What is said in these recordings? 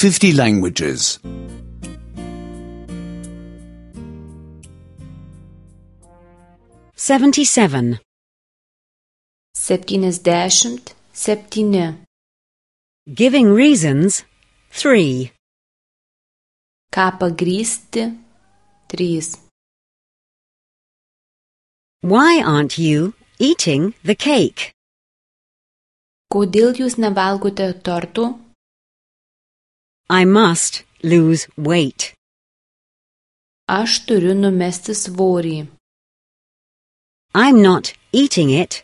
50 languages. 77. 77. Giving reasons 3. Ką pagrįsti 3. Why aren't you eating the cake? Kodėl jūs nevalgote tortų? I must lose weight. Aš turiu numesti svorį. I'm not eating it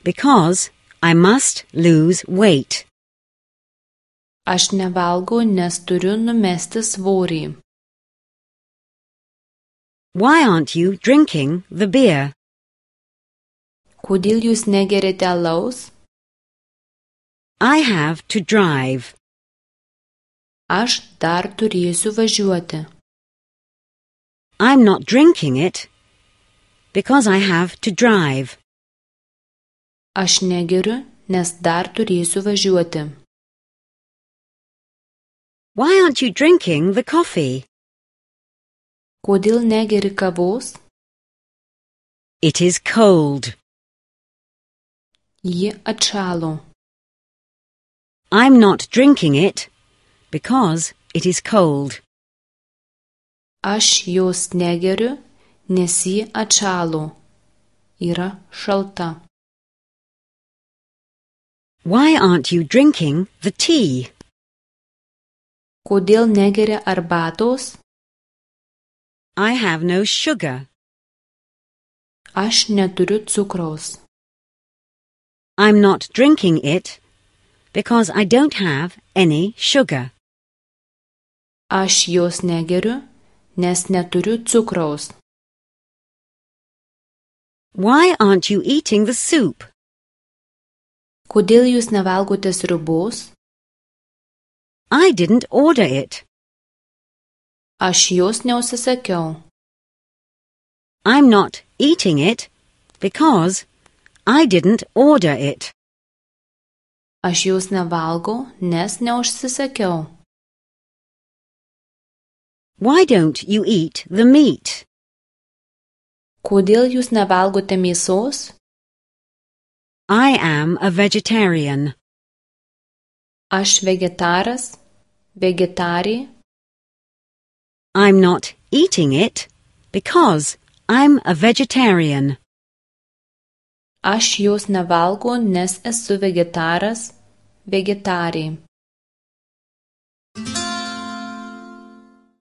because I must lose weight. Aš nevalgau, nes turiu numesti svorį. Why aren't you drinking the beer? Kodėl jūs negeriate alaus? I have to drive. Aš dar turėsiu važiuoti. I'm not drinking it because I have to drive. Aš negeriu, nes dar turėsiu važiuoti. Why aren't you drinking the coffee? Kodėl negeri kavos? It is cold. Ji atšalo. I'm not drinking it because it is cold. Aš jos negeriu, nes ji atšalo. Yra šalta. Why aren't you drinking the tea? Kodėl negeri arbatos? I have no sugar. Aš neturiu cukraus. I'm not drinking it because I don't have any sugar. Aš jos negeriu, nes neturiu cukraus. Why aren't you eating the soup? Kodėl jūs nevalgote sriubos? I didn't order it. Aš jos neužsisakiau. I'm not eating it because I didn't order it. Aš jos nevalgau, nes neužsisakiau. Why don't you eat the meat? Kodėl jūs nevalgote mėsos? I am a vegetarian. Aš vegetaras, vegetarė. I'm not eating it because I'm a vegetarian. Aš jos nevalgau, nes esu vegetaras, vegetarė.